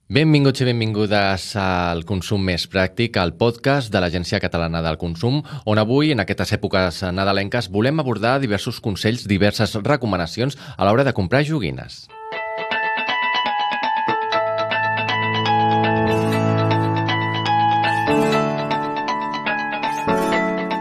Benvinguts i benvingudes al Consum Més Pràctic, al podcast de l'Agència Catalana del Consum, on avui, en aquestes èpoques nadalenques, volem abordar diversos consells, diverses recomanacions a l'hora de comprar joguines.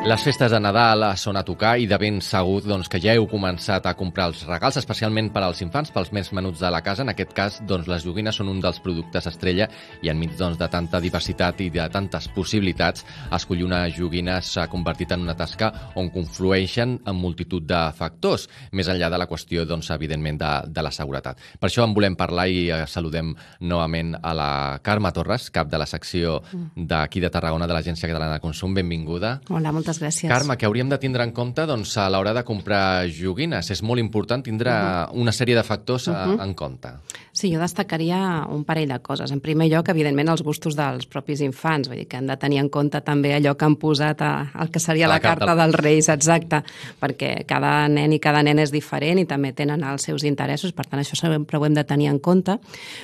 Les festes de Nadal són a tocar i de ben segur que ja heu començat a comprar els regals, especialment per als infants, pels més menuts de la casa. En aquest cas, les joguines són un dels productes estrella i enmig de tanta diversitat i de tantes possibilitats, escollir una joguina s'ha convertit en una tasca on conflueixen en multitud de factors, més enllà de la qüestió, evidentment, de la seguretat. Per això en volem parlar i saludem novament a la Carme Torres, cap de la secció d'aquí de Tarragona de l'Agència Catalana de Consum. Benvinguda. Hola, moltes gràcies. Carme, què hauríem de tindre en compte a l'hora de comprar joguines? És molt important tindre una sèrie de factors en compte. Sí, jo destacaria un parell de coses. En primer lloc, evidentment, els gustos dels propis infants. Vull dir que han de tenir en compte també allò que han posat el que seria la carta dels Reis, exacte, perquè cada nen i cada nena és diferent i també tenen els seus interessos, per tant, això sempre ho hem de tenir en compte.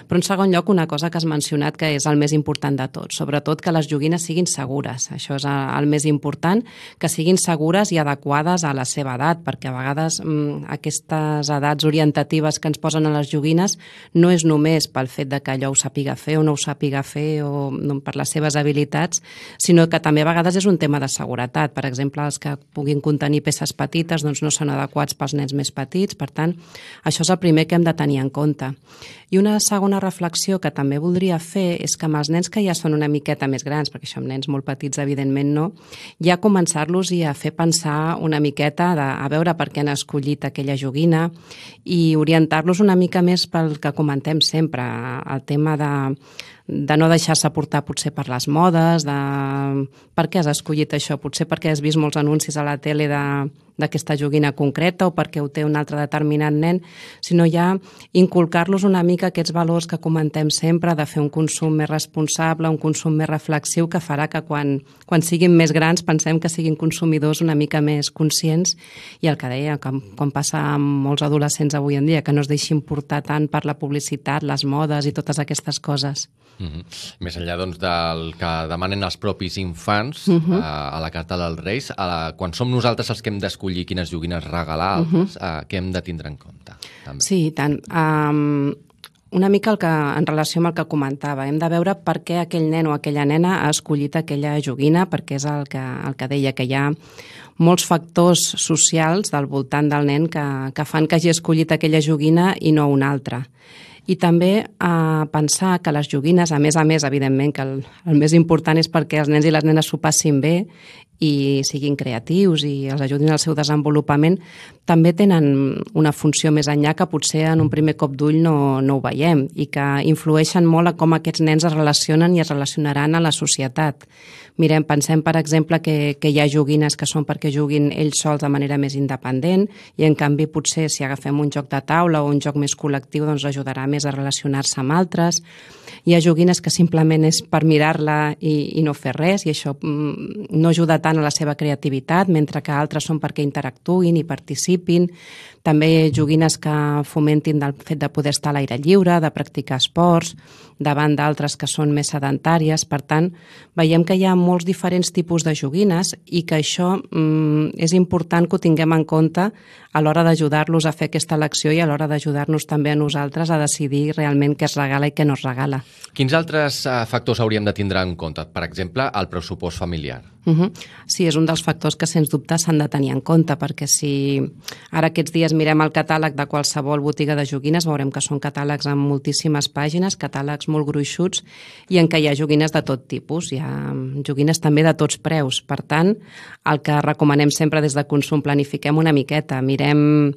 Però, en segon lloc, una cosa que has mencionat que és el més important de tot, sobretot que les joguines siguin segures. Això és el més important, que siguin segures i adequades a la seva edat, perquè a vegades aquestes edats orientatives que ens posen a les joguines no és només pel fet de que allò ho sàpiga fer o no ho sàpiga fer o per les seves habilitats, sinó que també a vegades és un tema de seguretat. Per exemple, els que puguin contenir peces petites no són adequats pels nens més petits, per tant, això és el primer que hem de tenir en compte. I una segona reflexió que també voldria fer és que amb els nens que ja són una miqueta més grans, perquè això amb nens molt petits evidentment no, ja començar-los i a fer pensar una miqueta a veure per què han escollit aquella joguina i orientar-los una mica més pel que comentem sempre, el tema de no deixar-se portar potser per les modes, de per què has escollit això, potser perquè has vist molts anuncis a la tele d'aquesta joguina concreta o perquè ho té un altre determinat nen, sinó ja inculcar-los una mica aquests valors que comentem sempre, de fer un consum més responsable, un consum més reflexiu, que farà que quan siguin més grans pensem que siguin consumidors una mica més conscients i el que deia, com passa amb molts adolescents avui en dia, que no es deixin portar tant per la publicitat, les modes i totes aquestes coses. Més enllà del que demanen els propis infants a la carta dels Reis, quan som nosaltres els que hem d'escollir quines joguines regalar, què hem de tindre en compte? També. Sí, i tant. Una mica en relació amb el que comentava, hem de veure per què aquell nen o aquella nena ha escollit aquella joguina, perquè és el que deia, que hi ha molts factors socials del voltant del nen que fan que hagi escollit aquella joguina i no una altra. I també pensar que les joguines, a més, evidentment, que el més important és perquè els nens i les nenes s'ho passin bé i siguin creatius i els ajudin al seu desenvolupament, també tenen una funció més enllà que potser en un primer cop d'ull no ho veiem i que influeixen molt a com aquests nens es relacionen i es relacionaran a la societat. Pensem, per exemple, que hi ha joguines que són perquè juguin ells sols de manera més independent i, en canvi, potser si agafem un joc de taula o un joc més col·lectiu, ajudarà més a relacionar-se amb altres. Hi ha joguines que simplement és per mirar-la i no fer res i això no ajuda tant a la seva creativitat, mentre que altres són perquè interactuïn i participin. També joguines que fomentin del fet de poder estar a l'aire lliure, de practicar esports, davant d'altres que són més sedentàries. Per tant, veiem que hi ha molts diferents tipus de joguines i que això és important que ho tinguem en compte a l'hora d'ajudar-los a fer aquesta elecció i a l'hora d'ajudar-nos també a nosaltres a decidir realment què es regala i què no es regala. Quins altres factors hauríem de tindre en compte? Per exemple, el pressupost familiar. Sí, és un dels factors que sens dubte s'han de tenir en compte, perquè si ara aquests dies mirem el catàleg de qualsevol botiga de joguines, veurem que són catàlegs amb moltíssimes pàgines, catàlegs molt gruixuts i en què hi ha joguines de tot tipus, hi ha joguines també de tots preus. Per tant, el que recomanem sempre des de Consum, planifiquem una miqueta, mirem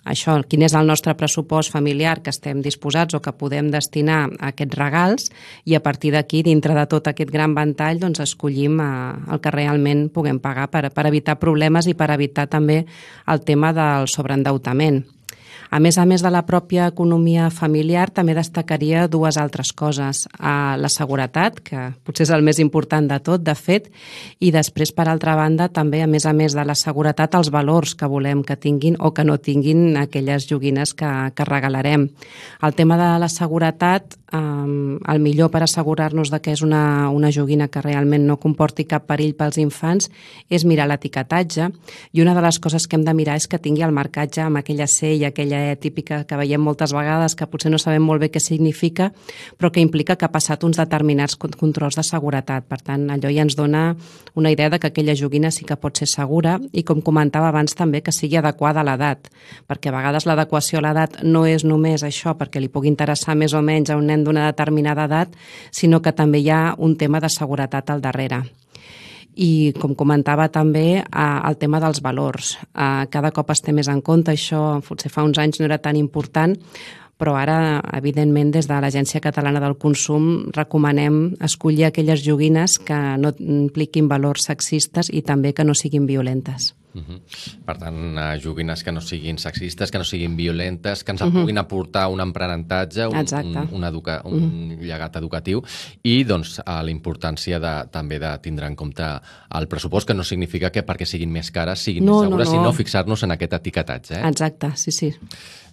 això, quin és el nostre pressupost familiar que estem disposats o que podem destinar a aquests regals i a partir d'aquí, dintre de tot aquest gran ventall, escollim el que realment puguem pagar per evitar problemes i per evitar també el tema del sobreendeutament. A més de la pròpia economia familiar, també destacaria dues altres coses. La seguretat, que potser és el més important de tot, de fet, i després, per altra banda, també, a més de la seguretat, els valors que volem que tinguin o que no tinguin aquelles joguines que regalarem. El tema de la seguretat, el millor per assegurar-nos que és una joguina que realment no comporti cap perill pels infants és mirar l'etiquetatge, i una de les coses que hem de mirar és que tingui el marcatge amb aquella C i aquella E típica que veiem moltes vegades, que potser no sabem molt bé què significa, però que implica que ha passat uns determinats controls de seguretat. Per tant, allò ja ens dona una idea de que aquella joguina sí que pot ser segura, i com comentava abans també, que sigui adequada a l'edat, perquè a vegades l'adequació a l'edat no és només això perquè li pugui interessar més o menys a un nen d'una determinada edat, sinó que també hi ha un tema de seguretat al darrere. I, com comentava també, el tema dels valors. Cada cop es té més en compte, això potser fa uns anys no era tan important, però ara, evidentment, des de l'Agència Catalana del Consum recomanem escollir aquelles joguines que no impliquin valors sexistes i també que no siguin violentes. Per tant, joguines que no siguin sexistes, que no siguin violentes, que ens puguin aportar un aprenentatge, un llegat educatiu, i doncs la importància també de tindre en compte el pressupost, que no significa que perquè siguin més cares siguin més segures, sinó fixar-nos en aquest etiquetatge. Exacte, sí.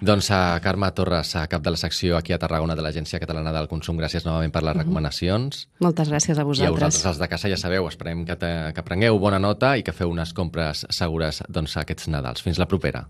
Doncs Carme Torres, cap de la secció aquí a Tarragona de l'Agència Catalana del Consum, gràcies novament per les recomanacions. Moltes gràcies a vosaltres. I a vosaltres, els de casa, ja sabeu, esperem que prengueu bona nota i que feu unes compres segures aquests Nadals. Fins la propera.